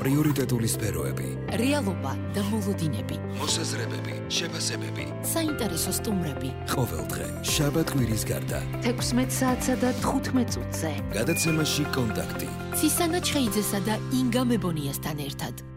პრიორიტეტული სფეროები, რეალობა და მოლოდინები, მოსაზრებები, შეფასებები, საინტერესო სტუმრები. ყოველდღე, შაბათ-კვირის გარდა, 16 საათსა და 15 წუთზე. გადაცემაში კონტაქტი. ცისანა ჩხეიძესა და ინგა მებონიასთან ერთად.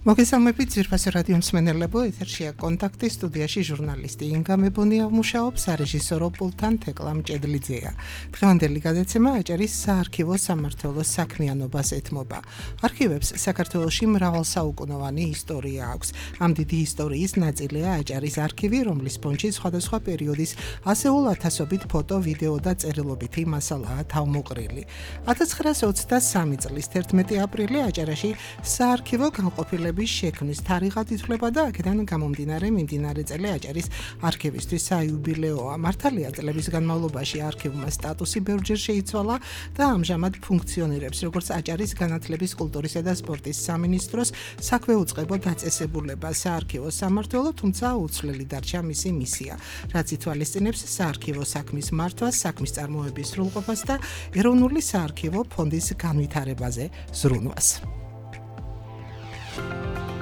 მოგესალმებით ძვირფასი რადიო მსმენელებო, ეთერშია კონტაქტი, სტუდიაში ჟურნალისტი ინგა მებონია მუშაობს, სარეჟისორო პულტთან თეკლა მჭედლიძეა. დღევანდელი გადაცემა აჭარის საარქივო სამმართველოს საქმიანობას ეთმობა. არქივებს საქართველოში მრავალსაუკუნოვანი ისტორია აქვს. ამ დიდი ისტორიის ნაწილია აჭარის არქივი, რომლის ფონდში სხვადასხვა პერიოდის ასეულ ათასობით ფოტო, ვიდეო და წერილობითი მასალაა თავმოყრილი. 1923 წლის 11 აპრილი აჭარაში საარქივო განყოფილება შექმნის თარიღად ითვლება და აქედან გამომდინარე მიმდინარე წელი აჭარის არქივისთვის საიუბილეოა. მართალია წლების განმავლობაში არქივმა სტატუსი ბევრჯერ შეიცვალა და ამჟამად ფუნქციონირებს როგორც აჭარის განათლების, კულტურისა და სპორტის სამინისტროს საქვეუწყებო დაწესებულება საარქივო სამმართველო, თუმცა უცვლელი დარჩა მისი მისია, რაც ითვალისწინებს საარქივო საქმის მართვას, საქმის წარმოების სრულყოფას და ეროვნული საარქივო ფონდის განვითარებაზე ზრუნვას.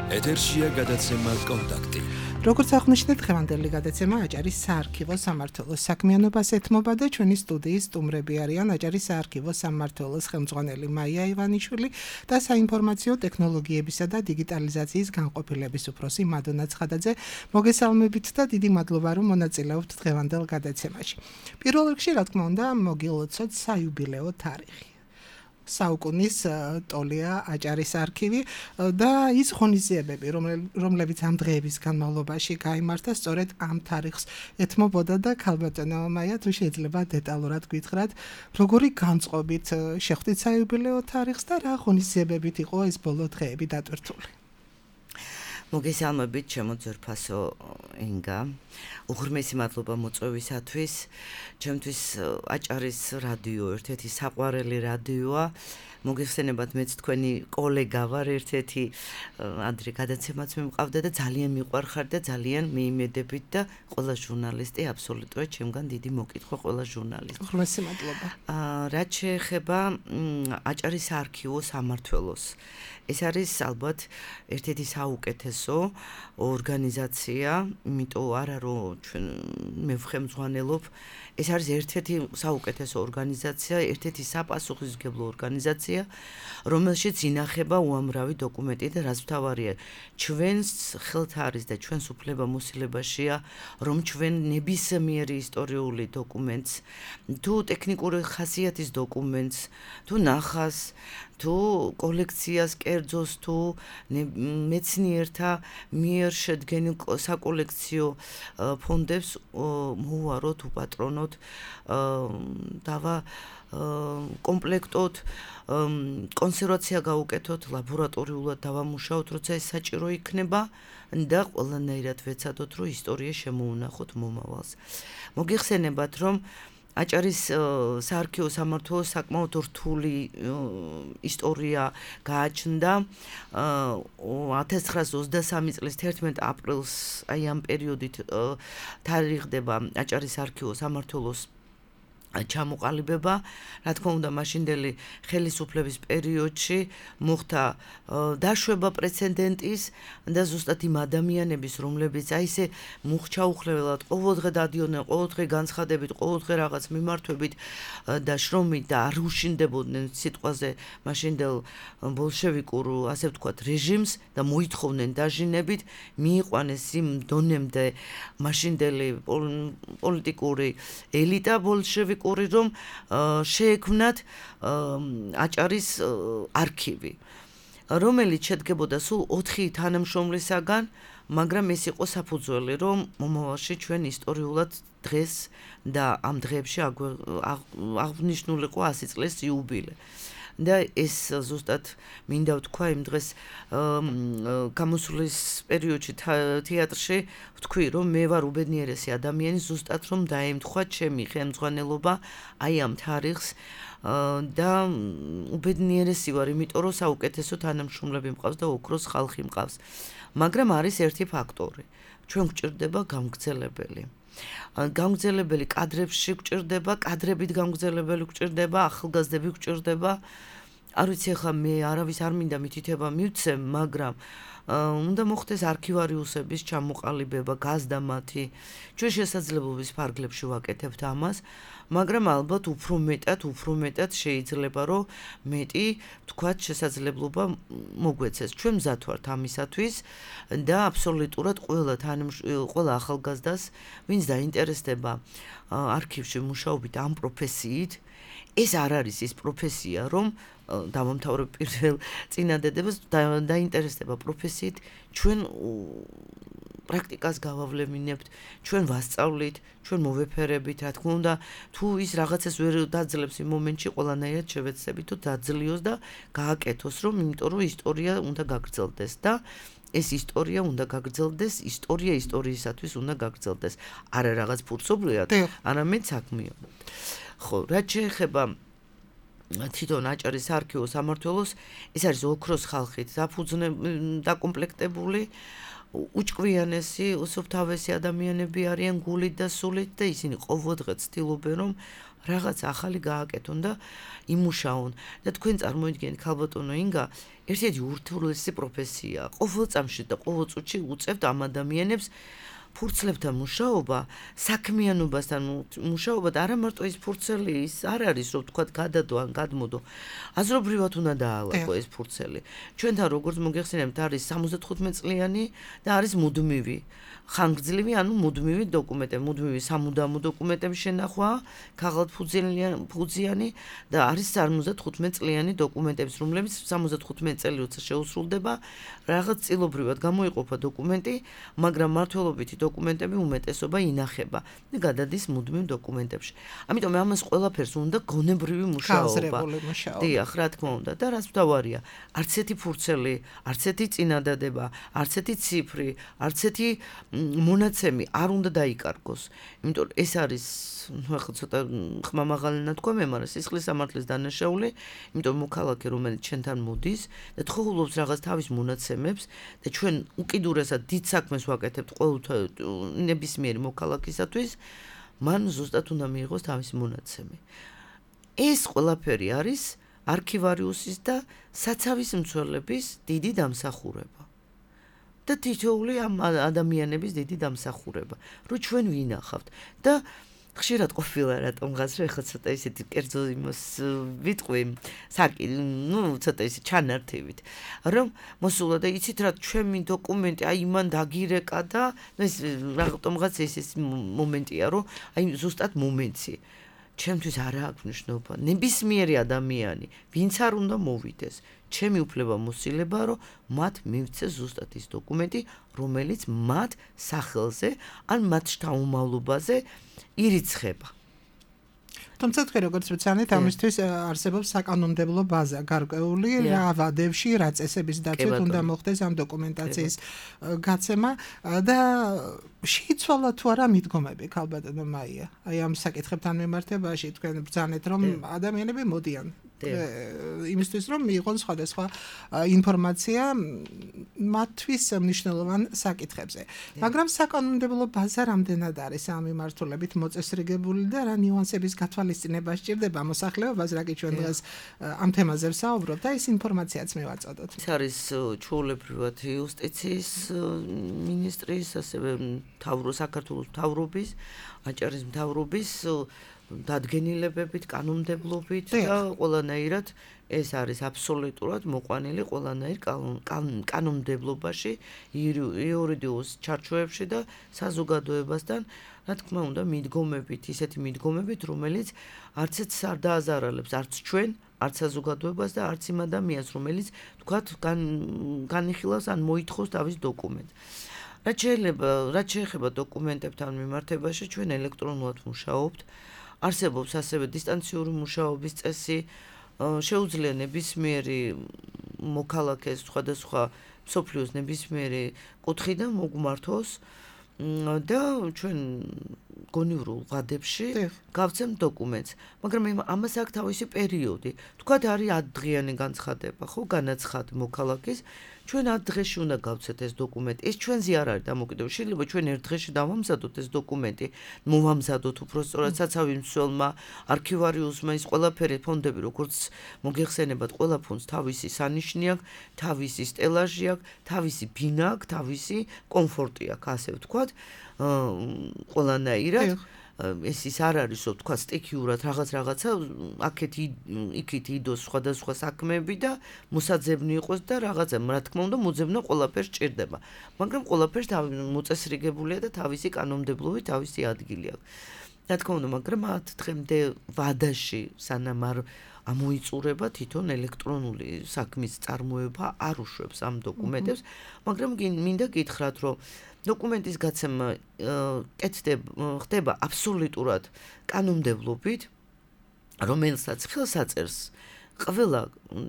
ეთერშია გადაცემა კონტაქტი. როგორც აღნიშნეთ, დღევანდელი გადაცემა აჭარის საარქივო სამმართველოს საქმიანობას ეთმობა და ჩვენი სტუდიის სტუმრები არიან აჭარის საარქივო სამმართველოს ხელმძღვანელი მაია ივანიშვილი და საინფორმაციო ტექნოლოგიებისა და დიგიტალიზაციის განყოფილების უფროსი მადონა ცხადაძე. მოგესალმებით და დიდი მადლობა, რომ მონაწილეობთ დღევანდელ გადაცემაში. პირველ რიგში, რა თქმა უნდა, მოგილოცოთ საიუბილეო თარიღი. საუკუნის ტოლია აჭარის არქივი და ის ღონისძიებები, რომლებიც ამ დღეების განმავლობაში გაიმართა, სწორედ ამ თარიღს ეთმობოდა და ქალბატონო მაია, თუ შეიძლება დეტალურად გითხრათ, როგორი განწყობით შეხვდით საიუბილეო თარიღს და რა ღონისძიებებით იყო ეს ბოლო დღეები დატვირთული. მოგესალმებით, ჩემო ძვირფასო ინგა. უღრმესი მადლობა მოწვევისათვის. ჩემთვის აჭარის რადიო ერთ-ერთი საყვარელი რადიოა. მოგეხსენებათ, მეც თქვენი კოლეგა ვარ, ერთ-ერთი ადრე გადაცემაც მიმყავდა და ძალიან მიყვარხარ და ძალიან მიიმედებით და ყველა ჟურნალისტი აბსოლუტურად ჩემგან დიდი მოკითხვა ყველა ჟურნალისტი. უღრმესი მადლობა. რაც შეეხება აჭარის საარქივო სამმართველოს. ეს არის ალბათ ერთ-ერთი საუკეთესო ორგანიზაცია, იმიტომ არა რომ ჩვენ მე ვხემძღვანელობ, ეს არის ერთ-ერთი საუკეთესო ორგანიზაცია, ერთ-ერთი საპასუხისმგებლო ორგანიზაცია, რომელშიც ინახება უამრავი დოკუმენტი და რაც მთავარია, ჩვენს ხელთ არის და ჩვენს უფლებამოსილებაშია, რომ ჩვენ ნებისმიერი ისტორიული დოკუმენტს, თუ ტექნიკური ხასიათის დოკუმენტს, თუ ნახას, თუ კოლექციას, კერძოს, თუ მეცნიერთა მიერ შედგენილ საკოლექციო ფონდებს მოვუაროთ, უპატრონოთ, კომპლექტოთ, კონსერვაცია გავუკეთოთ, ლაბორატორიულად დავამუშაოთ, როცა ეს საჭირო იქნება და ყველანაირად ვეცადოთ, რომ ისტორია შემოუნახოთ მომავალს. მოგეხსენებათ, რომ აჭარის საარქივო სამმართველოს საკმაოდ რთული ისტორია გააჩნდა 1923 წლის 11 აპრილს, აი ამ პერიოდით თარიღდება აჭარის საარქივო სამმართველოს ჩამოყალიბება, რა თქმა უნდა, მაშინდელი ხელისუფლების პერიოდში მოხდა დაშვება პრეცედენტის და ზუსტად იმ ადამიანების, რომლებიც აი ესე მუხჩაუხლებლად ყოველდღე დადიოდნენ, ყოველდღე განცხადებით, ყოველდღე რაღაც მიმართვებით და შრომით და არ უშინდებოდნენ სიტყვაზე მაშინდელ ბოლშევიკურ, ასე ვთქვათ, რეჟიმს და მოითხოვდნენ დაჟინებით, მიიყვანეს იმ დონემდე მაშინდელი პოლიტიკური ელიტა ბოლშევიკური, რომ შეექმნათ აჭარის არქივი, რომელიც შედგებოდა სულ 4 თანამშრომლისაგან, მაგრამ ეს იყო საფუძველი, რომ მომავალში ჩვენ ისტორიულად დღეს და ამ დღეებში აღნიშნულიყო 100 წლის იუბილე. და ეს ზუსტად მინდა ვთქვა იმ დღეს გამოსulis პერიოდში თეატრში ვთქვი, რომ მე ვარ უბედნიერესი ადამიანი, ზუსტად რომ დაემთხვა ჩემი ხელმძღვანელობა აი ამ თარიღს და უბედნიერესი ვარ, იმიტომ რომ საუკეთესო თანამშრომლები მყავს და ოქროს ხალხი მყავს. მაგრამ არის ერთი ფაქტორი. ჩვენ გვჭირდება გამგრძელებელი. გამგრძელებელი კადრებში გვჭირდება, კადრებით გამგრძელებელი გვჭირდება, ახალგაზრდები გვჭირდება არ ვიცი ახლა მე არავის არ მინდა მითითება მივცემ, მაგრამ უნდა მოხდეს არქივარიუსების ჩამოყალიბება, გაზდა მათი. ჩვენ შესაძლებლობის ფარგლებში ვაკეთებთ ამას, მაგრამ ალბათ უფრო მეტად შეიძლება რომ მეტი თქვათ შესაძლებლობა მოგვეცეს. ჩვენ მზად ვართ ამისათვის და აბსოლუტურად ყველა ახალგაზრდას, ვინც დაინტერესდება არქივში მუშაობით ამ პროფესიით, ეს არ არის ის პროფესია, რომ დამამთავრებ პირველ წინადადებას დაინტერესდება პროფესიით, ჩვენ პრაქტიკას გავავლემინებთ, ჩვენ ვასწავლით, ჩვენ მოვეფერებით, რა თქმა უნდა, თუ ის რაღაცას ვერ დაძლებს იმ მომენტში, ყველანაირად შევეცდებით, თუ დაძლიოს და გააკეთოს, იმიტომ რომ ისტორია უნდა გაგრძელდეს და ეს ისტორია უნდა გაგრძელდეს, ისტორია ისტორიისათვის უნდა გაგრძელდეს. არა რაღაც ფურცობლიად, არამედ საქმიანად. ხო, რაც შეეხება თვითონ აჭარის არქივო სამმართველოს, ეს არის ოქროს ხალხით დაკომპლექტებული, უჭკვიანესი, უსუფთავესი ადამიანები არიან გულით და სულით და ისინი ყოველდღე ცდილობენ, რომ რაღაც ახალი გააკეთონ და იმუშაონ. და თქვენ წარმოიდგინეთ, ქალბატონო ინგა, ერთ-ერთი ურთულესი პროფესია. ყოველ წამში და ყოველ წუთში უწევთ ამ ადამიანებს ფურცლებთან მუშაობა, საქმიანობასთან მუშაობა და არა მარტო ის ფურცელი ის არ არის, რომ თქვათ გადადო ან გადმოდო. აზრობრივად უნდა დაალაგო ეს ფურცელი. ჩვენთან როგორც მოგეხსენებთ, არის 75 წლიანი და არის მუდმივი. ხანგრძლივი, ანუ მუდმივი დოკუმენტები, მუდმივი სამუდამო დოკუმენტების შენახვა, ქაღალდფუძიანი და არის 75 წლიანი დოკუმენტები, რომლებიც 75 წელი როცა შეუსრულდება, რაღაც წილობრივად გამოიყოფა დოკუმენტი, მაგრამ მმართველობითი დოკუმენტები უმეტესობა ინახება და გადადის მუდმივ დოკუმენტებში. ამიტომ ამას ყველაფერს უნდა გონებრივი მუშაობა. დიახ, რა თქმა უნდა და რაც მთავარია, არც ერთი ფურცელი, არც ერთი წინადადება, არც ერთი ციფრი, არც ერთი მონაცემი არ უნდა დაიკარგოს. იმიტომ ეს არის, ახლა ცოტა ხმამაღალი ნათქვამია, მაგრამ სისხლის სამართლის დანაშაული, იმიტომ მოქალაქე, რომელიც ჩვენთან მოდის და თხოვლობს რაღაც თავის მონაცემებს და ჩვენ უკიდურესად დიდ საქმეს ვაკეთებთ ყოველთვის ნებისმიერი მოქალაქისათვის, მან ზუსტად უნდა მიიღოს თავისი მონაცემი. ეს ყველაფერი არის არქივარიუსის და საცავის მცველების დიდი დამსახურება. და თითოეული ამ ადამიანების დიდი დამსახურება, რომ ჩვენ ვინახავთ და ხშირად ყოფილა რატომღაც რომ ეხლა ცოტა ისეთი კერძო იმას ვიტყვი, ცოტა ისე ჩანართივით, რომ მოსულა და იცით რა ჩემი დოკუმენტი აი მან დაგირეკა და ეს რატომღაც ეს მომენტია, რომ აი ზუსტად მომენტი ჩემთვის არა აქვს მნიშვნელობა. ნებისმიერი ადამიანი, ვინც არ უნდა მოვიდეს, ჩემი უფლება მოსილება, რომ მათ მივცეს ზუსტად ის დოკუმენტი, რომელიც მათ სახელზე ან მათ შთამომავლობაზე ირიცხება. თუმცა თქვენ როგორც ვცანით, ამისთვის არსებობს საკანონმდებლო ბაზა გარკვეული, რა ვადებში, რა წესების დაცვით უნდა მოხდეს ამ დოკუმენტაციის გაცემა და შეიცვალა თუ არა მიდგომები ქალბატონო მაია. აი ამ საკითხებთან მიმართებაში თქვენ ბრძანეთ, რომ ადამიანები მოდიან იმისთვის რომ მიიღონ სხვადასხვა ინფორმაცია მათთვის მნიშვნელოვან საკითხებზე. მაგრამ საკანონმდებლო ბაზა რამდენად არის ამ მიმართულებით მოწესრიგებული და რა ნიუანსების გათვალისწინება სჭირდება მოსახლეობას, რა კი ჩვენ დღეს ამ თემაზე ვსაუბრობთ და ეს ინფორმაციაც მივაწოდოთ. ეს არის ჩვეულებრივად იუსტიციის მინისტრის, ასევე საქართველოს მთავრობის, აჭარის მთავრობის დადგენილებებით, კანონმდებლობით და ყველანაირად ეს არის აბსოლუტურად მოყვანილი ყველანაირ კანონმდებლობაში, იურიდიულ ჩარჩოებში და საზოგადოებასთან, რა თქმა უნდა, მიდგომებით, ისეთი მიდგომებით, რომელიც არცეც არ დააზარალებს არც ჩვენ, არც საზოგადოებას და არც იმ ადამიანს, რომელიც თქვათ განიხილავს ან მოითხოვს თავის დოკუმენტს. რაც შეეხება დოკუმენტებთან მიმართებაში, ჩვენ ელექტრონულად მუშაობთ. არსებობს ასევე დისტანციური მუშაობის წესი, შეუძლია ნებისმიერი მოქალაქეს სხვადასხვა მსოფლიოს ნებისმიერი კუთხიდან მოგმართოს და ჩვენ გონივრულ ღადებში გავცემ დოკუმენტს, მაგრამ ამას აქვს თავისი პერიოდი. თქვათ არის 10 დღიანი განცხადება, ხო, განაცხადი მოქალაქის, ჩვენ 10 დღეში უნდა გავცეთ ეს დოკუმენტი. ეს ჩვენზე არ არის დამოკიდებული. შეიძლება ჩვენ 1 დღეში დავამზადოთ ეს დოკუმენტი, მოვამზადოთ უბრალოდ საცავი მსვლელმა, არქივარიუსმა, ის ყველაფერი ფონდები, როგორც მოგეხსენებათ, ყველა ფონდს თავისი სანიშნი აქვს, თავისი სტელაჟი აქვს, თავისი ბინა აქვს, თავისი კომფორტი აქვს, ასე ვთქვათ. ყველანაირად ეს ის არ არის, თქვა სტიქიურად რაღაცა აქეთ იქით იდოს სხვადასხვა საქმეები და მოსაძებნი იყოს და რაღაცა, რა თქმა უნდა, მოძებნა ყველაფერს ჭირდება. მაგრამ ყველაფერს მოწესრიგებულია და თავისი კანონმდებლობით თავისი ადგილი აქვს. რა თქმა უნდა, მაგრამ 10 დღემდე ვადაში სანამ არ ამოიწურება თვითონ ელექტრონული საქმის წარმოება არ უშვებს ამ დოკუმენტებს, მაგრამ მინდა გითხრათ, რომ დოკუმენტის გაცემა ხდება აბსოლუტურად კანონმდებლობით, რომელსაც ხელს აწერს ყველა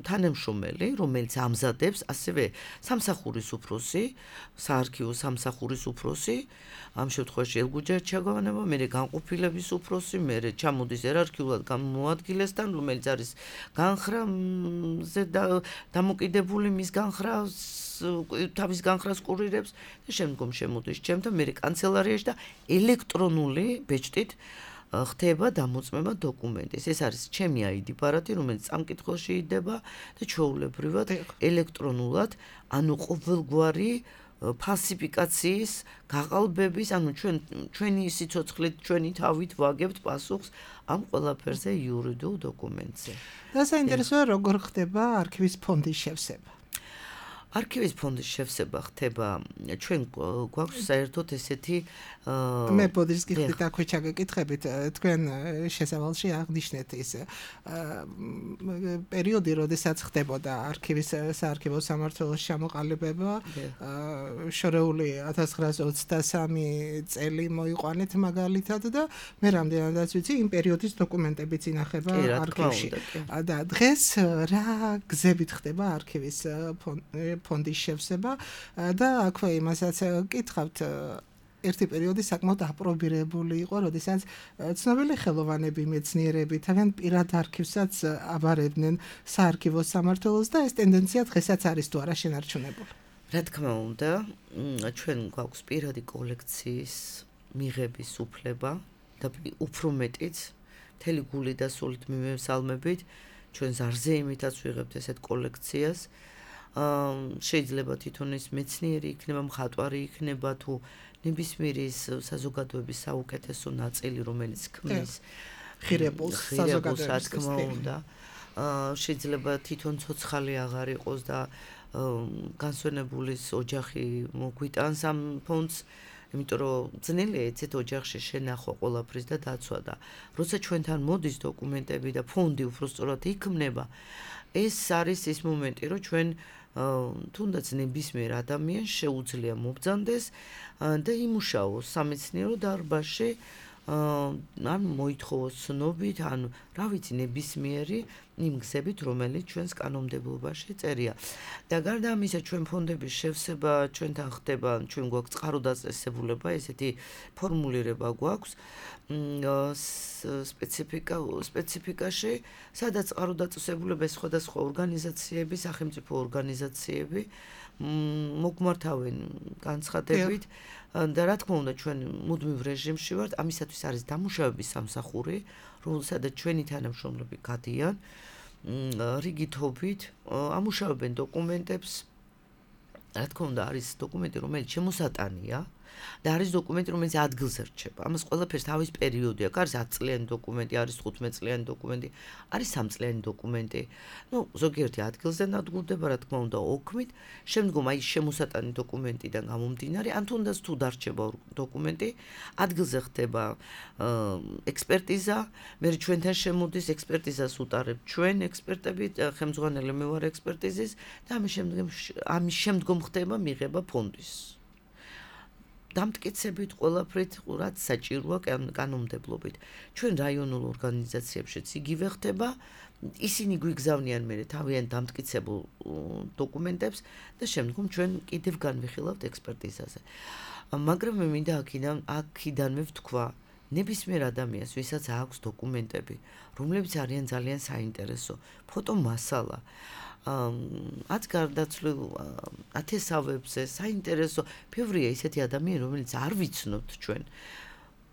თანამშრომელი, რომელიც ამზადებს, ასევე სამსახურის უფროსი, საარქივო სამსახურის უფროსი, ამ შემთხვევაში ელგუჯერ ჩაგავანება, მერე განყოფილების უფროსი, მერე ჩამოდის ერარქიულად გამოადგილესთან, რომელიც არის განხრაზე დამოკიდებული მის განხრას, თავის განხრას კურირებს და შემდგომ შემოდის ჩემთან, მერე კანცელარიაში და ელექტრონული ბეჭდით ხდება დამოწმება დოკუმენტის. ეს არის ჩემი ID ბარათი, რომელიც სამკითხველში იდება და ჩვეულებრივად ელექტრონულად, ანუ ყოველგვარი ფალსიფიკაციის, გაყალბების, ანუ ჩვენი სიცოცხლით, ჩვენი თავით ვაგებთ პასუხს ამ ყველაფერზე იურიდიულ დოკუმენტზე. და საინტერესოა, როგორ ხდება არქივის ფონდის შევსება. არქივის ფონდის შევსება ხდება, ჩვენ გვაქვს საერთოდ ესეთი მე ბოდიშს გიხდით აქვე ჩაგეკითხებით, თქვენ შესავალში აღნიშნეთ ის პერიოდი, როდესაც ხდებოდა არქივის საარქივო სამმართველოს ჩამოყალიბება, შორეული 1923 წელი მოიყვანეთ მაგალითად და მე რამდენადაც ვიცი, იმ პერიოდის დოკუმენტებიც ინახება არქივში. და დღეს რა გზებით ხდება არქივის ფონდის შევსება და აქვე იმასაც გითხავთ, ერთი პერიოდი საკმაოდ აპრობირებული იყო, როდესაც ცნობილი ხელოვანები, მეცნიერები თავიანთ პირად არქივსაც აბარებდნენ საარქივო სამმართველოს და ეს ტენდენცია დღესაც არის თუ არა შენარჩუნებული. რა თქმა უნდა, ჩვენ გვაქვს პირადი კოლექციის მიღების უფლება და უფრო მეტიც მთელი გული და სულით მივესალმებით, ჩვენ ზარზე იმითაც ვიღებთ ესეთ კოლექციას. შეიძლება თვითონ ის მეცნიერი იქნება, მხატვარი იქნება თუ ნებისმიერი საზოგადოების საუკეთესო ნაწილი, რომელიც ქმნის ღირებულს საზოგადოების, რა თქმა უნდა, შეიძლება თვითონ ცოცხალი აღარ იყოს და განსვენებულის ოჯახი მოგვიტანს ამ ფონდს, იმიტომ რომ ძნელია ეცეთ ოჯახში შენახვა ყველაფრის და დაცვა და როცა ჩვენთან მოდის დოკუმენტები და ფონდი უბრალოდ იქმნება, ეს არის ის მომენტი, რომ ჩვენ თუნდაც ნებისმიერ ადამიანს შეუძლია მობრძანდეს და იმუშაოს სამეცნიერო დარბაზში, ან მოითხოვოს ცნობით, ან რა ვიცი, ნებისმიერი იმ გზებით, რომელიც ჩვენს კანონმდებლობაში წერია. და გარდა ამისა, ჩვენ ფონდების შევსება ჩვენთან ხდება, ჩვენ გვაქვს წყარო დაწესებულება, ესეთი ფორმულირება გვაქვს სპეციფიკაში, სადაც წყარო დაწესებულება სხვადასხვა ორგანიზაციები, სახელმწიფო ორგანიზაციები მოგმართავენ განცხადებით და რა თქმა უნდა ჩვენ მუდმივ რეჟიმში ვართ, ამისათვის არის დამუშავების სამსახური, რომელსაც ჩვენი თანამშრომლები გადიან რიგითობით, ამუშავებენ დოკუმენტებს. რა თქმა უნდა არის დოკუმენტი, რომელიც შემოსატანია და არის დოკუმენტი, რომელიც ადგილზე რჩება. ამას ყველაფერს თავის პერიოდი აქვს. არის 10 წლიანი დოკუმენტი, არის 15 წლიანი დოკუმენტი, არის 3 წლიანი დოკუმენტი. ზოგიერთი ადგილზე ნადგურდება, რა თქმა უნდა, ოქმით. შემდგომ აი შემოსატანი დოკუმენტიდან გამომდინარე, ან თუნდაც თუ დარჩება დოკუმენტი, ადგილზე ხდება ექსპერტიზა, მე ჩვენთან შემოდის ექსპერტიზას უტარებ ჩვენ ექსპერტები, ხელმძღვანელი მე ვარ ექსპერტიზის და ამის შემდგომ ხდება მიღება ფონდის. დამტკიცებით ყველაფრით, რაც საჭიროა კანონმდებლობით. ჩვენ რაიონულ ორგანიზაციებშიც იგივე ხდება, ისინი გვიგზავნიან მე თავიანთ დამტკიცებულ დოკუმენტებს და შემდგომ ჩვენ კიდევ განვიხილავთ ექსპერტიზაზე. მაგრამ მე მინდა აქიდანვე ვთქვა, ნებისმიერ ადამიანს, ვისაც აქვს დოკუმენტები, რომლებიც არიან ძალიან საინტერესო, ფოტომასალა, ათ გარდაცვლილ ათესავებზე, საინტერესო, ბევრია ისეთი ადამიანი, რომელიც არ ვიცნობთ ჩვენ.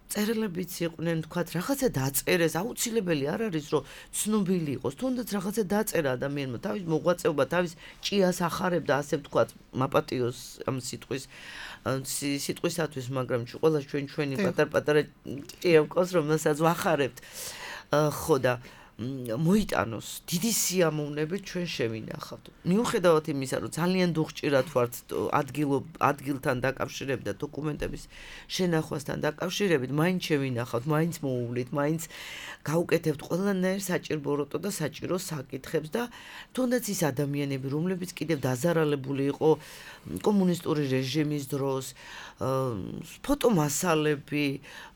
წერილებიც იყვნენ, თქვათ, რაღაცა დაწერეს, აუცილებელი არ არის, რომ ცნობილი იყოს, თუნდაც რაღაცა დაწერა ადამიანმა, თავის მოღვაწეობა, თავის ჭიას ახარებდა, ასე ვთქვათ, მაპატიოს ამ სიტყვისათვის, მაგრამ ყველა ჩვენი პატარ-პატარა ჭია მყავს, რომელსაც ვახარებთ. ხო და მოიტანოს დიდი სიამოვნებით ჩვენ შევინახავთ. მიუხედავად იმისა, რომ ძალიან დუხჭირად ვართ ადგილთან დაკავშირებით და დოკუმენტების შენახვასთან დაკავშირებით, მაინც შევინახავთ, მაინც მოუვლით, მაინც გავუკეთებთ ყველანაირ საჭირო და საჭირო საკითხებს და თუნდაც ის ადამიანები, რომლებიც კიდევ დაზარალებული იყო კომუნისტური რეჟიმის დროს, ფოტომასალები,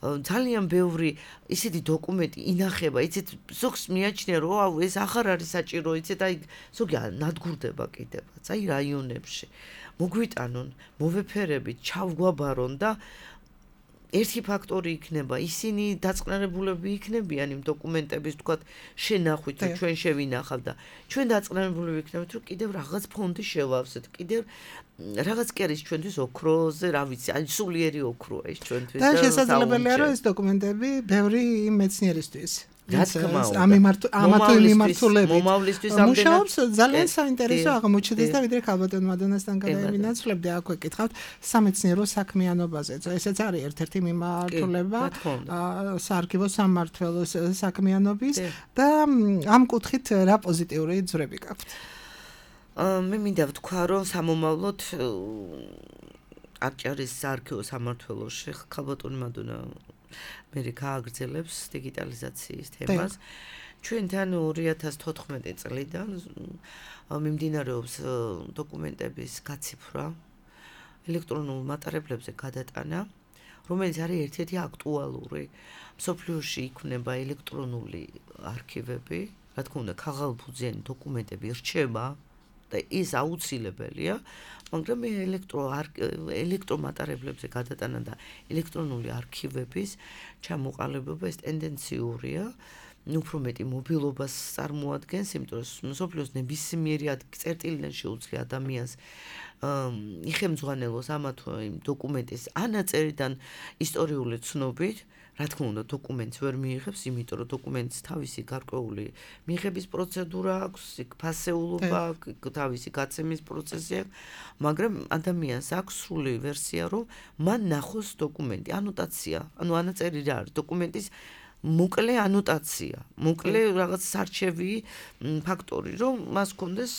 ძალიან ბევრი ისეთი დოკუმენტი ინახება, იცით, ზოგს მიაჩნია, რომ ეს აღარ არის საჭირო, იცით, აი ზოგი ნადგურდება კიდევაც, აი რაიონებში. მოგვიტანონ, მოვეფერებით, ჩავგვაბარონ და ერთი ფაქტორი იქნება, ისინი დაწყნარებულები იქნებიან იმ დოკუმენტების, თქვათ, შენახვით, რომ ჩვენ შევინახავთ და ჩვენ დაწყნარებულები იქნებით, რომ კიდევ რაღაც ფონდი შევავსეთ, კიდევ რაღაც კი არის ჩვენთვის ოქროზე, რა ვიცი, აი სულიერი ოქროა ეს ჩვენთვის და შესაძლებელია, რომ ეს დოკუმენტები ბევრი მეცნიერისთვის რა თქმა უნდა. ამათო მიმართულებით მომავლისთვის მუშაობს ძალიან საინტერესო აღმოჩნდეს და ვიდრე ქალბატონ მადონასთან გადავინაცვლებდი, აქვე კითხავთ სამეცნიერო საქმიანობაზე. ესეც არის ერთ-ერთი მიმართულება საარქივო სამმართველოს საქმიანობის და ამ კუთხით რა პოზიტიური ძვრები გაქვთ? მე მინდა ვთქვა, რომ სამომავლოდ აჭარის საარქივო სამმართველოში ქალბატონი მადონა მე გააგრძელებს დიგიტალიზაციის თემას. ჩვენთან 2014 წლიდან მიმდინარეობს დოკუმენტების გაციფრვა, ელექტრონულ მატარებლებზე გადატანა, რომელიც არის ერთ-ერთი აქტუალური. მსოფლიოში იქნება ელექტრონული არქივები, რა თქმა უნდა, ქაღალდფუძიანი დოკუმენტები რჩება და ის აუცილებელია, მაგრამ ელექტრომატარებლებზე გადატანა და ელექტრონული არქივების ჩამოყალიბება ეს ტენდენციურია, უფრო მეტი მობილობას წარმოადგენს, იმიტომ რომ მსოფლიოს ნებისმიერი წერტილიდან შეუძლია ადამიანს იხემძღვანელოს ამა თუ იმ დოკუმენტის ანაწერიდან ისტორიული ცნობით. რა თქმა უნდა, დოკუმენტს ვერ მიიღებს, იმიტომ რომ დოკუმენტს თავისი გარკვეული მიღების პროცედურა აქვს, ფასეულობა, თავისი გაცემის პროცესი აქვს, მაგრამ ადამიანს აქვს სრული ვერსია, რომ მან ნახოს დოკუმენტი, ანოტაცია, ანუ ანაწერი რა არის, დოკუმენტის მოკლე ანოტაცია, მოკლე რაღაც სარჩევი ფაქტორი, რომ მას ჰქონდეს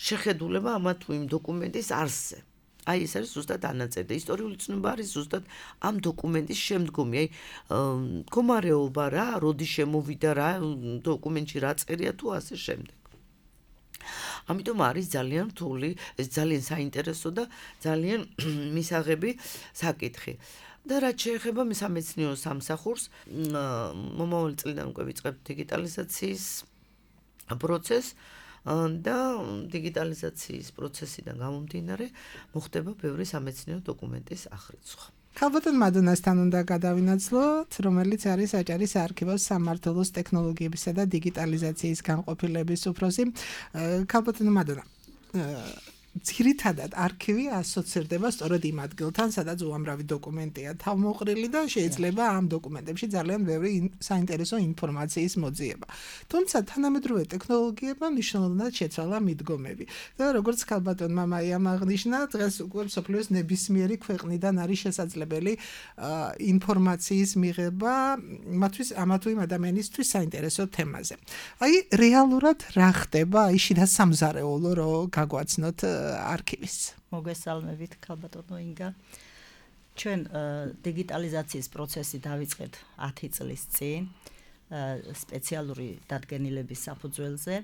შეხედულება ამა თუ იმ დოკუმენტის არსზე. აი ეს არის ზუსტად ანაწერი და ისტორიული ცნობა არის ზუსტად ამ დოკუმენტის შემდგომი, აი მდგომარეობა რა, როდის შემოვიდა რა, დოკუმენტში რა წერია თუ ასე შემდეგ. ამიტომ არის ძალიან რთული, ძალიან საინტერესო და ძალიან მისაღები საკითხი. და რაც შეეხება სამეცნიერო სამსახურს, მომავალი წლიდან უკვე ვიწყებთ დიგიტალიზაციის პროცესს და დიგიტალიზაციის პროცესიდან გამომდინარე მოხდება ბევრი სამეცნიერო დოკუმენტის აღრიცხვა. ქალბატონ მადონასთან უნდა გადავინაცვლოთ, რომელიც არის აჭარის საარქივოს სამმართველოს ტექნოლოგიებისა და დიგიტალიზაციის განყოფილების უფროსი. ქალბატონ მადონა, ძირითადად არქივი ასოცირდება სწორედ იმ ადგილთან, სადაც უამრავი დოკუმენტია თავმოყრილი და შეიძლება ამ დოკუმენტებში ძალიან ბევრი საინტერესო ინფორმაციის მოძიება. თუმცა თანამედროვე ტექნოლოგიებმა მნიშვნელოვნად შეცვალა მიდგომები. და როგორც ქალბატონმა მაიამ აღნიშნა, დღეს უკვე მსოფლიოს ნებისმიერი ქვეყნიდან არის შესაძლებელი ინფორმაციის მიღება ამა თუ იმ ადამიანისთვის საინტერესო თემაზე. აი რეალურად რა ხდება, აი შიდა სამზარეულო რომ გაგვაცნოთ არქივის. მოგესალმებით, ქალბატონო ინგა. ჩვენ დიგიტალიზაციის პროცესი დავიწყეთ 10 წლის წინ სპეციალური დადგენილების საფუძველზე.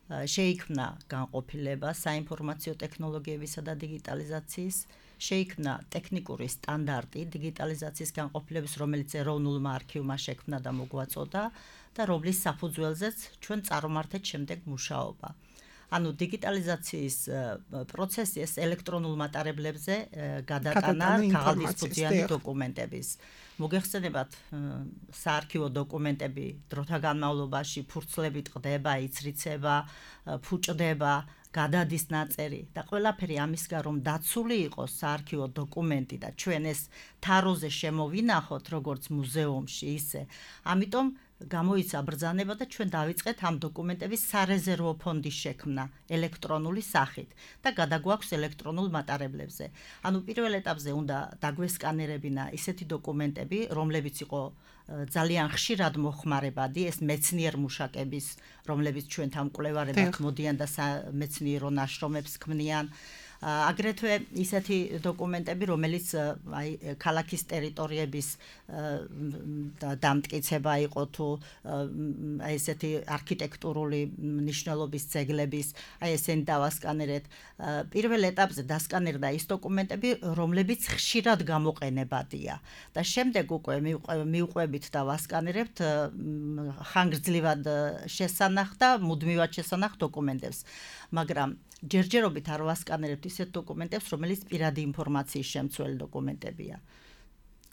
შეიქმნა განყოფილება საინფორმაციო ტექნოლოგიებისა და დიგიტალიზაციის, შეიქმნა ტექნიკური სტანდარტი დიგიტალიზაციის განყოფილების, რომელიც ეროვნულმა არქივმა შექმნა და მოგვაწოდა და რომლის საფუძველზეც ჩვენ წარმართეთ შემდეგ მუშაობა. ანუ დიგიტალიზაციის პროცესი ეს ელექტრონულ მატარებლებზე გადატანა ქაღალდისფუძიანი დოკუმენტების. მოგეხსენებათ, საარქივო დოკუმენტები დროთა განმავლობაში ფურცლებით ყდება, იცრიცება, ფუჭდება, გადადის ნაწერი და ყველაფერი ამისგან რომ დაცული იყოს საარქივო დოკუმენტი და ჩვენ ეს თაროზე შემოვინახოთ როგორც მუზეუმში ისე. ამიტომ გამოიცა ბრძანება და ჩვენ დავიწყეთ ამ დოკუმენტების სარეზერვო ფონდის შექმნა ელექტრონული სახით და გადაგვაქვს ელექტრონულ მატარებლებზე. ანუ პირველ ეტაპზე უნდა დაგვესკანერებინა ისეთი დოკუმენტები, რომლებიც იყო ძალიან ხშირად მოხმარებადი, ეს მეცნიერ მუშაკების, რომლებიც ჩვენთან მკვლევარებად მოდიან და მეცნიერო ნაშრომებს ქმნიან. აგრეთვე ისეთი დოკუმენტები, რომელიც აი ქალაქის ტერიტორიების დამტკიცება იყო თუ აი ესეთი არქიტექტურული მნიშვნელობის ძეგლების, აი ესენი დავასკანერეთ. პირველ ეტაპზე დასკანერდა ის დოკუმენტები, რომლებიც ხშირად გამოყენებადია და შემდეგ უკვე მივყვებით და ვასკანერებთ ხანგრძლივად შესანახ და მუდმივად შესანახ დოკუმენტებს. მაგრამ ჯერჯერობით არ ვასკანერებთ ისეთ დოკუმენტებს, რომელიც პირადი ინფორმაციის შემცველი დოკუმენტებია.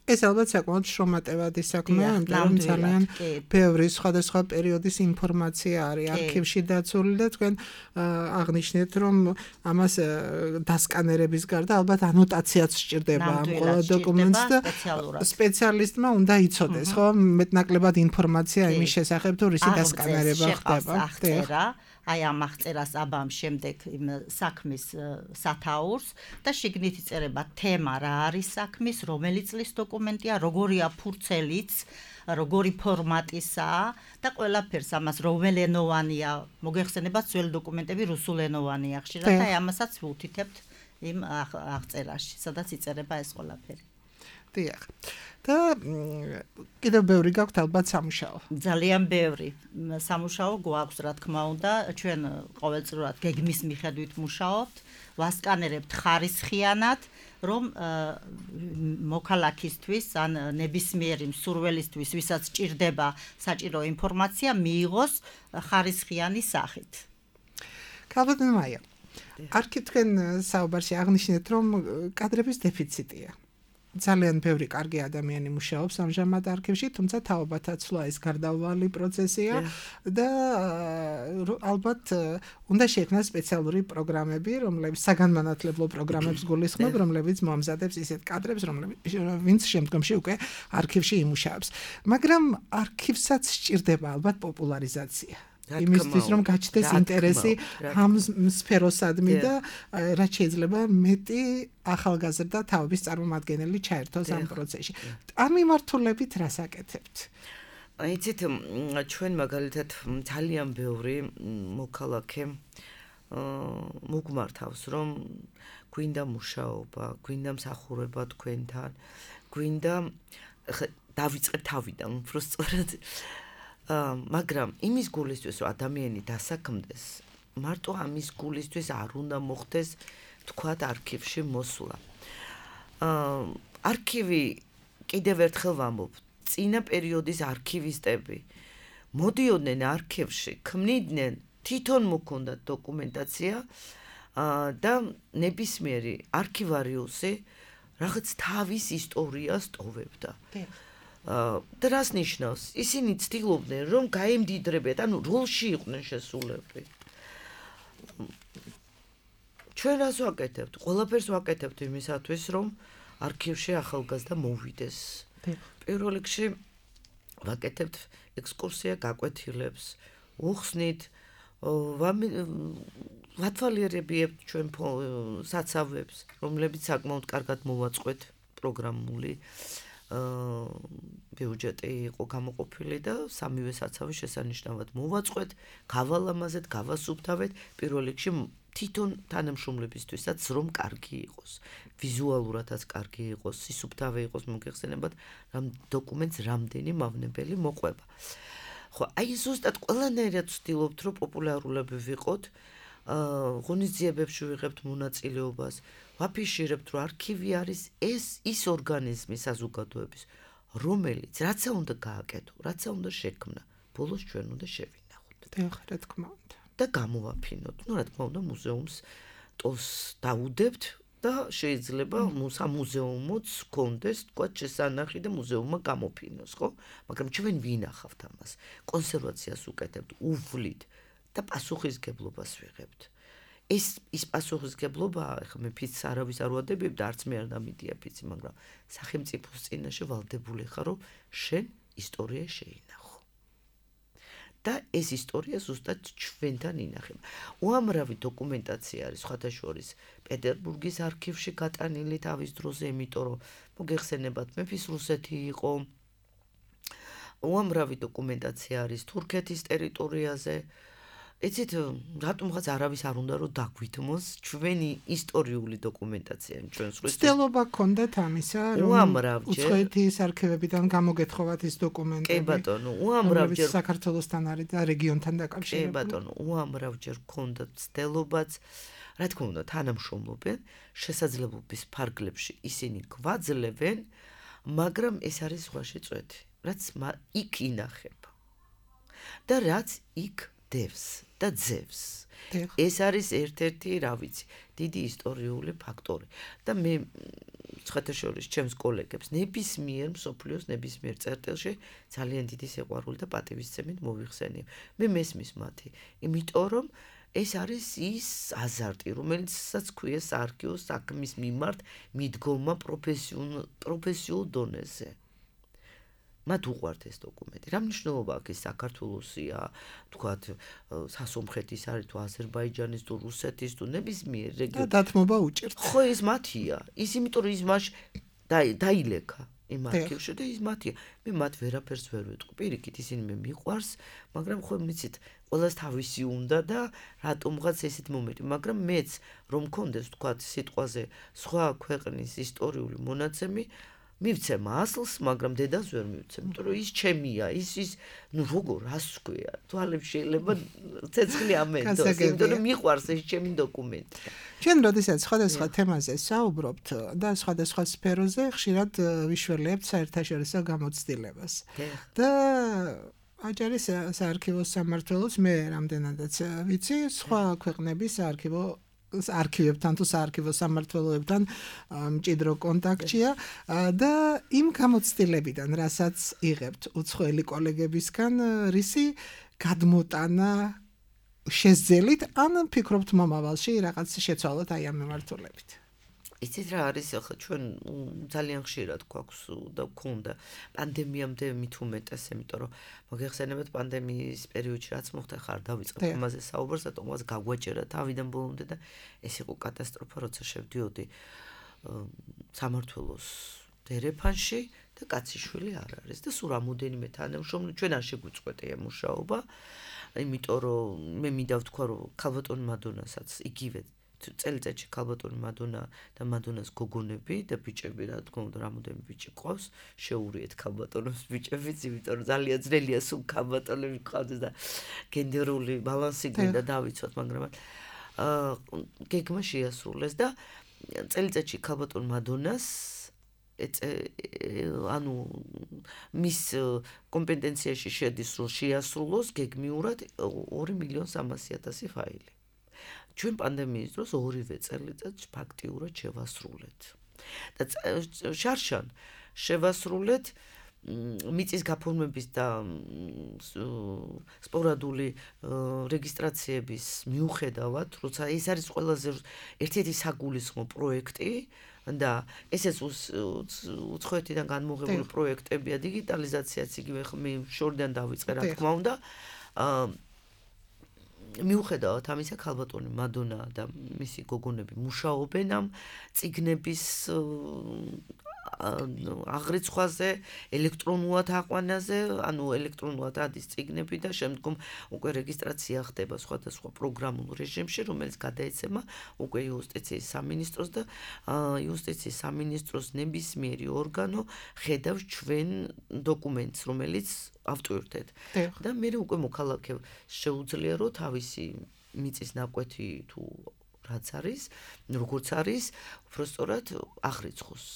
ეს ალბათ საკმაოდ შრომატევადი საქმეა, ამიტომ ძალიან ბევრი სხვადასხვა პერიოდის ინფორმაცია არის არქივში დაცული და თქვენ აღნიშნეთ, რომ ამას დასკანერების გარდა ალბათ ანოტაციაც სჭირდება ამ ყველა დოკუმენტს და სპეციალისტმა უნდა იცოდეს, ხო, მეტნაკლებად ინფორმაცია იმის შესახებ, თუ რისი დასკანერება ხდება. აი ამ აღწერას აბამ შემდეგ საქმის სათაურს და შიგნით იწერება თემა რა არის საქმის, რომელი წლის დოკუმენტია, როგორია ფურცელიც, როგორი ფორმატისაა და ყველაფერს ამას რომელენოვანია, მოგეხსენებათ ძველი დოკუმენტები რუსულენოვანია ხშირად და ამასაც ვუთითებთ იმ აღწერაში, სადაც იწერება ეს ყველაფერი. დიახ. და კიდევ ბევრი გაქვთ ალბათ სამუშაო. ძალიან ბევრი სამუშაო გვაქვს, რა თქმა უნდა, ჩვენ ყოველწლიურად გეგმის მიხედვით მუშაობთ, ვასკანერებთ ხარისხიანად, რომ მოქალაქისთვის ან ნებისმიერი მსურველისთვის, ვისაც ჭირდება საჭირო ინფორმაცია, მიიღოს ხარისხიანი სახით. ქალბატონო მაია, არქივთქენ საუბარში აღნიშნეთ, რომ კადრების დეფიციტია. ძალიან ბევრი კარგი ადამიანი მუშაობს ამჟამად არქივში, თუმცა თაობათა ცვლა ეს გარდაუვალი პროცესია და ალბათ უნდა შექმნას სპეციალური პროგრამები, რომლებიც საგანმანათლებლო პროგრამებს გულისხმობ, რომლებიც მოამზადებს ისეთ კადრებს, ვინც შემდგომში უკვე არქივში იმუშავებს. მაგრამ არქივსაც სჭირდება ალბათ პოპულარიზაცია. იმისთვის რომ გაჩნდეს ინტერესი ამ სფეროსადმი და რაც შეიძლება მეტი ახალგაზრდა თაობის წარმომადგენელი ჩაერთოს ამ პროცესში. ამ მიმართულებით რას აკეთებთ? იცით, ჩვენ მაგალითად ძალიან ბევრი მოქალაქე მოგმართავს, რომ გვინდა მუშაობა, გვინდა მსახურება თქვენთან, გვინდა დავიწყეთ თავიდან, უფრო სწორად მაგრამ იმის გულისთვის რომ ადამიანი დასაქმდეს, მარტო ამის გულისთვის არ უნდა მოხდეს თქვათ არქივში მოსვლა. არქივი კიდევ ერთხელ ვამბობ, წინა პერიოდის არქივისტები მოდიოდნენ არქივში, ქმნიდნენ, თვითონ მოქონდათ დოკუმენტაცია და ნებისმიერი არქივარიუსი რაღაც თავის ისტორიას ტოვებდა. და რას ნიშნავს? ისინი ცდილობდნენ, რომ გაემდიდრებათ, ანუ როლში იყვნენ შესულები. ჩვენ რას ვაკეთებთ? ყველაფერს ვაკეთებთ იმისათვის, რომ არქივში ახალგაზრდა მოვიდეს. პირველ რიგში ვაკეთებთ ექსკურსია გაკვეთილებს, უხსნით, ვათვალიერებიებთ ჩვენ საცავებს, რომლებიც საკმაოდ კარგად მოვაწყვეთ პროგრამული ბიუჯეტი იყო გამოყოფილი და სამივე საცავი შესანიშნავად მოვაწყვეთ, გავალამაზეთ, გავასუფთავეთ, პირველ რიგში თვითონ თანამშრომლებისთვისაც რომ კარგი იყოს, ვიზუალურადაც კარგი იყოს, სისუფთავე იყოს, მოგეხსენებათ, რამ დოკუმენტს რამდენი მავნებელი მოყვება. ხო, აი ზუსტად ყველანაირად ვცდილობთ, რომ პოპულარულები ვიყოთ, ღონისძიებებში ვიღებთ მონაწილეობას, ვაფიშირებთ, რომ არქივი არის ის ორგანიზმი საზოგადოების, რომელიც რაცა უნდა გააკეთო, რაცა უნდა შექმნა, ბოლოს ჩვენ უნდა შევინახოთ. დიახ, რა თქმა უნდა. და გამოვაფინოთ. რა თქმა უნდა, მუზეუმს ტოლს დაუდებთ და შეიძლება სამუზეუმოც გქონდეს, თქვა, შესანახი და მუზეუმმა გამოფინოს, ხო? მაგრამ ჩვენ ვინახავთ ამას. კონსერვაციას უკეთებთ, უვლით და პასუხისგებლობას ვიღებთ. ის პასუხისგებლობა, ახლა მე ფიცს არავის არ ვადებებ და არც მე არ დამიტია ფიცი, მაგრამ სახელმწიფოს წინაშე ვალდებული ხარ, რომ შენ ისტორია შეინახო. და ეს ისტორია ზუსტად ჩვენთან ინახება. უამრავი დოკუმენტაცია არის სხვათა შორის პეტერბურგის არქივში გატანილი თავის დროზე, იმიტომ რომ მოგეხსენებათ, მეფის რუსეთი იყო. უამრავი დოკუმენტაცია არის თურქეთის ტერიტორიაზე. იცით, რატომღაც არავის არ უნდა რომ დაგვითმოს ჩვენი ისტორიული დოკუმენტაცია ჩვენს რუსეთის. ცდილობა გქონდათ ამისა, რომ უცხოეთის არქივებიდან გამოგეთხოვათ ის დოკუმენტები. კი ბატონო, უამრავჯერ საქართველოსთან არის და რეგიონთან დაკავშირებული. კი ბატონო, უამრავჯერ გქონდათ ცდილობაც. რა თქმა უნდა, თანამშრომლობენ, შესაძლებლობის ფარგლებში ისინი გვაძლევენ, მაგრამ ეს არის ზღვაში წვეთი, რაც იქ ინახება. და რაც იქ დევს და ძევს. ეს არის ერთ-ერთი, რა ვიცი, დიდი ისტორიული ფაქტორი. და მე სხვათა შორის ჩემს კოლეგებს ნებისმიერ მსოფლიოს ნებისმიერ წერტილში ძალიან დიდი სიყვარული და პატივისცემით მოვიხსენიებ. მე მესმის მათი, იმიტომ რომ ეს არის ის აზარტი, რომელიცაც ქვია საარქივო საქმის მიმართ მიდგომა პროფესიულ დონეზე. მათ უყვართ ეს დოკუმენტი. რა მნიშვნელობა აქვს ეს საქართველოსია, თქვათ, სასომხეთის არის თუ აზერბაიჯანის თუ რუსეთის თუ ნებისმიერ რეგიონში. დათმობა უჭერთ. ხო, ეს მათია. ის იმიტომ რომ ის მაშ დაილეკა იმ არქივში და ის მათია. მე მათ ვერაფერს ვერ ვიტყვი. პირიქით ისინი მე მიყვარს, მაგრამ ხო მიცით, ყველას თავისი უნდა და რატომღაც ესეთ მომენტი, მაგრამ მეც რომ მქონდეს, თქვათ, სიტყვაზე სხვა ქვეყნის ისტორიული მონაცემი მივცემ ასლს, მაგრამ დედას ვერ მივცემ, იმიტომ რომ ის ჩემია, ის ნუ როგორ რას ვქვია, თვალებს შეიძლება ცეცხლი ამენდოს, იმიტომ რომ მიყვარს ეს ჩემი დოკუმენტი. ჩვენ როდესაც სხვადასხვა თემაზე საუბრობთ და სხვადასხვა სფეროზე, ხშირად ვიშველებთ საერთაშორისო გამოცდილებას. და აჭარის საარქივო სამმართველოს მე რამდენადაც ვიცი, სხვა ქვეყნების არქივებთან თუ საარქივო სამმართველოებთან მჭიდრო კონტაქტია და იმ გამოცდილებიდან, რასაც იღებთ უცხოელი კოლეგებისგან, რისი გადმოტანა შესძელით, ან ფიქრობთ მომავალში რაღაც შეცვალოთ აი ამ მიმართულებით. იცით რა არის, ახლა ჩვენ ძალიან ხშირად გვაქვს და გქონდა პანდემიამდე მით უმეტეს, იმიტომ რომ მოგეხსენებათ პანდემიის პერიოდში რაც მოხდა, ხარ დავიწყებ ამაზე საუბარს, რატომღაც გაგვაჭერა თავიდან ბოლომდე და ეს იყო კატასტროფა, როცა შევდიოდი სამმართველოს დერეფანში და კაციშვილი არ არის და სულ რამოდენიმე თანამშრომელი ჩვენ არ შეგვიწყვეტია მუშაობა, იმიტომ რომ მე მინდა ვთქვა, რომ ქალბატონი მადონასაც იგივე წელიწადში ქალბატონი მადონა და მადონას გოგონები და ბიჭები, რა თქმა უნდა, რამოდენიმე ბიჭი ყავს, შეურიეთ ქალბატონებს ბიჭებიც, იმიტომ რომ ძალიან ძნელია სულ ქალბატონები ყავდეს და გენდერული ბალანსი გვინდა დავიცვათ, მაგრამ გეგმა შეასრულეს და წელიწადში ქალბატონ მადონას ანუ მის კომპეტენციაში შედის, რომ შეასრულოს გეგმიურად 2.300.000 ფაილი. ჩვენ პანდემიის დროს ორივე წელიწადს ფაქტიურად შევასრულეთ. და შარშან შევასრულეთ მიწის გაფორმების და სპორადული რეგისტრაციების მიუხედავად, როცა ეს არის ყველაზე ერთ-ერთი საგულისხმო პროექტი და ესეც უცხოეთიდან განმოღებული პროექტებია, დიგიტალიზაციაც იგივე მე შორიდან დავიწყე, რა თქმა უნდა. მიუხედავად ამისა, ქალბატონი მადონა და მისი გოგონები მუშაობენ ამ წიგნების აღრიცხვაზე, ელექტრონულად აყვანაზე, ანუ ელექტრონულად ადის წიგნები და შემდგომ უკვე რეგისტრაცია ხდება სხვადასხვა პროგრამულ რეჟიმში, რომელიც გადაეცემა უკვე იუსტიციის სამინისტროს და იუსტიციის სამინისტროს ნებისმიერი ორგანო ხედავს ჩვენ დოკუმენტს, რომელიც ავტვირთეთ. და მე უკვე მოქალაქე შეუძლია, რომ თავისი მიწის ნაკვეთი თუ რაც არის, როგორც არის, უბრალოდ აღრიცხოს.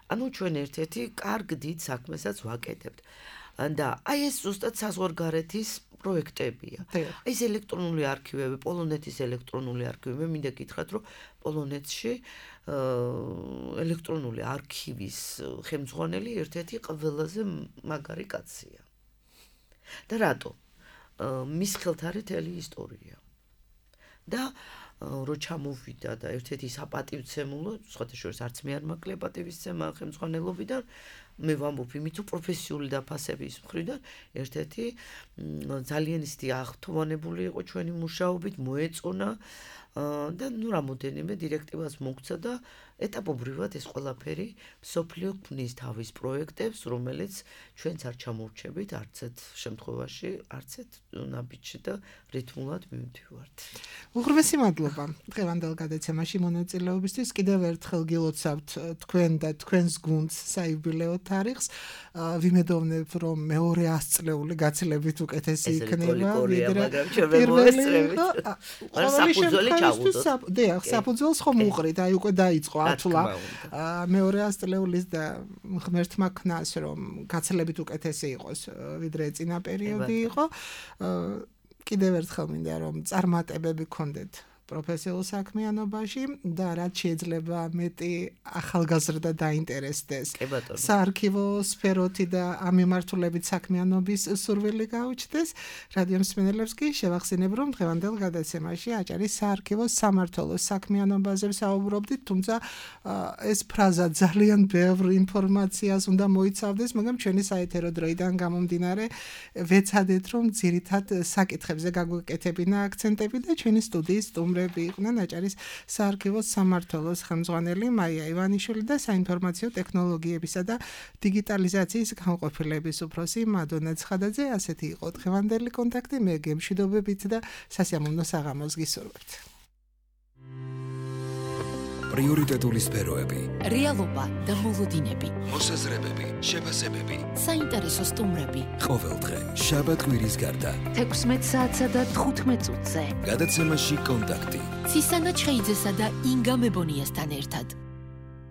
ანუ ჩვენ ერთ-ერთი კარგ დიდ საქმესაც ვაკეთებთ. და აი ეს ზუსტად საზღვარგარეთის პროექტებია. აი ეს ელექტრონული არქივები, პოლონეთის ელექტრონული არქივები, მე მინდა გითხრათ, რომ პოლონეთში ელექტრონული არქივის ხელმძღვანელი ერთ-ერთი ყველაზე მაგარი კაცია. და რატო? მის ხელთ არის მთელი ისტორია. და რო ჩამოვიდა და ერთ-ერთი საპატივცემულო, სხვათა შორის არც მე არ მაკლია პატივისცემა ხელმძღვანელობიდან, მე ვამბობ იმით, რომ პროფესიული დაფასების მხრიდან ერთ-ერთი ძალიან ისეთი აღთვალებული იყო ჩვენი მუშაობით, მოეწონა და ნუ რამოდენიმე დირექტივას მოგცა და ეტაპობრივად ეს ყველაფერი მსოფლიო ქმნის თავის პროექტებს, რომელიც ჩვენც არ ჩამორჩებით არცეთ შემთხვევაში, არცეთ ნაბიჯში და რითმულად მივდივართ. უღრმესი მადლობა დღევანდელ გადაცემაში მონაწილეობისთვის. კიდევ ერთხელ გილოცავთ თქვენ და თქვენს გუნდს საიუბილეო თარიღს. ვიმედოვნებ, რომ მეორე 100 წლეული გაცილებით უკეთესი იქნება, ვიდრე პირველი. დიახ, საფუძველს ხომ უყრით, აი უკვე დაიწყო ათვლა მეორე 100 წლეულის და ღმერთმა ქნას, რომ გაცილებით უკეთესი იყოს, ვიდრე წინა პერიოდი იყო. კიდევ ერთხელ მინდა რომ წარმატებები გქონდეთ პროფესიულ საქმიანობაში და რაც შეიძლება მეტი ახალგაზრდა დაინტერესდეს საარქივო სფეროთი და ამ მიმართულებით საქმიანობის სურვილი გაუჩნდეს. რადიო მსმენელებს კი შევახსენებ, რომ დღევანდელ გადაცემაში აჭარის საარქივო სამმართველოს საქმიანობაზე ვსაუბრობდით, თუმცა ეს ფრაზა ძალიან ბევრ ინფორმაციას უნდა მოიცავდეს, მაგრამ ჩვენი საეთერო დროიდან გამომდინარე ვეცადეთ, რომ ძირითად საკითხებზე გაგვეკეთებინა აქცენტები და ჩვენი სტუდიის იყვნენ აჭარის საარქივო სამმართველოს ხელმძღვანელი მაია ივანიშვილი და საინფორმაციო ტექნოლოგიებისა და დიგიტალიზაციის განყოფილების უფროსი მადონა ცხადაძე. ასეთი იყო დღევანდელი კონტაქტი. მე გემშვიდობებით და სასიამოვნო საღამოს გისურვებთ. პრიორიტეტული სფეროები, რეალობა და მოლოდინები, მოსაზრებები, შეფასებები, საინტერესო სტუმრები. ყოველდღე შაბათ-კვირის გარდა 16 საათსა და 15 წუთზე გადაცემაში კონტაქტი. ცისანა ჩხეიძესა და ინგა მებონიასთან ერთად.